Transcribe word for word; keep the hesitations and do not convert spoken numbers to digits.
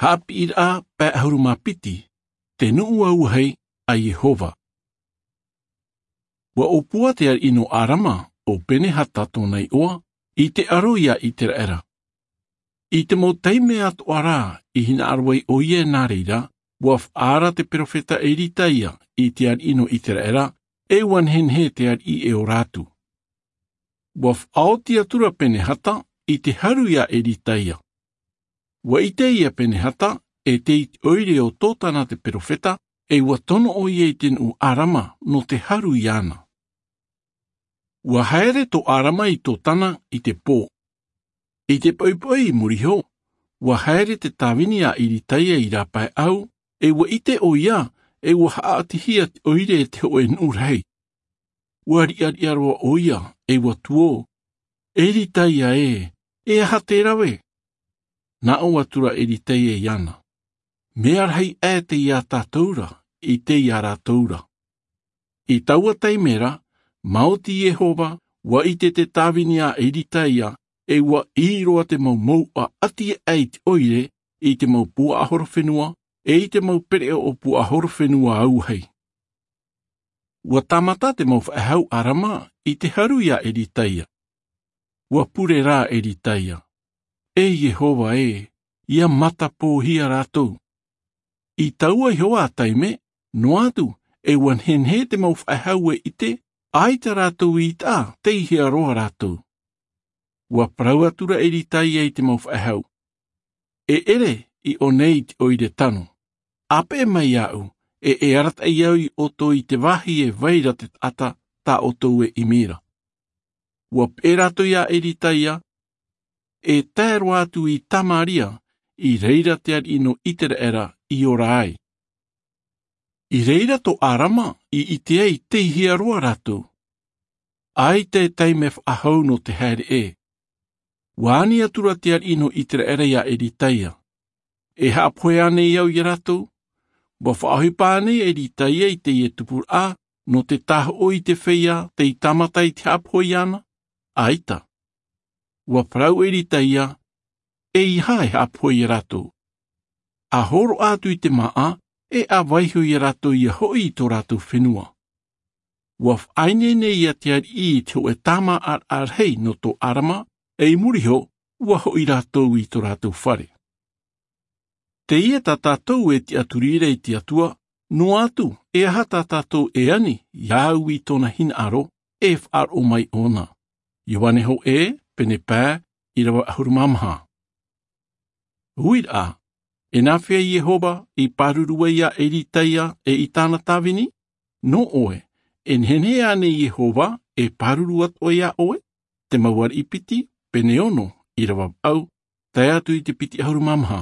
Haʻapiʻiraʻa pae ʻahuru mā piti. Te nuʻu auahi a Iehova. Ua ʻōpua te ariʻi nō Arama, ʻo Penehata tōna iʻoa, i te aro ia Iteraʻera. I te mau taime atoʻa rā i hinaʻaro ai ʻoia. Nā reira, ua faʻaara te perofeta Eritaia i te ariʻi nō Iteraʻera, e ua nehenehe te ariʻi e ora atu. Ua faʻaoti atura Penehata i te haru ia Eritaia. Ua ʻite ia Penehata e tei te ʻoire o Totana te perofeta, e ua tono ʻoia i te nuʻu Arama nō te haru iāna. Ua haere tō Arama i Totana i te pō. I te poʻipoʻi i muri iho, ua haere te tāvini a Eritaia i rāpaeʻau, e ua ʻite ʻoia, e ua haʻatihia te ʻoire e te hōʻē nuʻu rahi. Ua riʻariʻa roa ʻoia, e ua tuō, Eritaia ē, e aha te rave? Nā ʻō atura Eritaia iāna, mea rahi aʻe tei iā tātou ra, i tei iā rātou ra. I taua taime ra, maoti Iehova, ua ʻite te tāvini a Eritaia, e ua ʻī roa te mau mouʻa ʻati aʻe i te ʻoire, i te mau puaʻahorofenua, e i te mau pereʻoʻo puaʻahorofenua auahi. Ua tāmata te mau faʻehau Arama i te haru ia Eritaia. Ua pure rā Eritaia, e Iehova ē, ia matapōhia rātou. I taua iho ā taime, noa atu, e ua nehenehe te mau faʻehau e ʻite, ʻaita rātou i taʻa, tei hea roa rātou. Ua parau atura Eritaia i te mau faʻehau, e ʻere i ʻō nei i te ʻoire tano. ʻĀpeʻe mai iāʻu, e e arataʻi au iā ʻoutou i te vāhi e vai ra te taʻata, tā ʻoutou e ʻimi ra. Ua peʻe rātou ia Eritaia, e tae roa atu i Tamaria, i reira te ariʻi nō Iteraʻera i ora ai. I reira tō Arama i ʻite ai tei hea roa rātou. ʻAita e taime faʻahou nō te haere ē. Ua ani atura te ariʻi nō Iteraʻera ia Eritaia, e haʻapohe ānei au iā rātou? Ua faʻaʻohipa ānei Eritaia i teie tupuraʻa nō te tāhoʻo i te feiā tei tāmata i te haʻapohe iāna? ʻAita. Ua parau Eritaia, eiaha e haʻapohe iā rātou. ʻA hōroʻa atu i te māʻa, e ʻa vaiho iā rātou ia hoʻi i tō rātou fenua. Ua faʻaineine ia te ariʻi i te hōʻē tāmāʻaraʻa rahi nō tō Arama, e i muri iho, ua hoʻi rātou i tō rātou fare. Teie tā tātou e tiʻaturi ra i te Atua, noa atu, e aha tā tātou e ani, iāʻu i tōna hinaʻaro, e faʻaroʻo mai ʻōna. Ioane hōʻē, pene pae, ʻīrava ʻahuru mā maha. Uiraʻa, e nāfea Iehova i pāruru ai iā Eritaia e i tāna tāvini? Nō ʻoe, e nehenehe ānei Iehova e pāruru atoʻa iā ʻoe? Te mau ariʻi piti, pene ono, ʻīrava vaʻu, tae atu i te piti ʻahuru mā maha.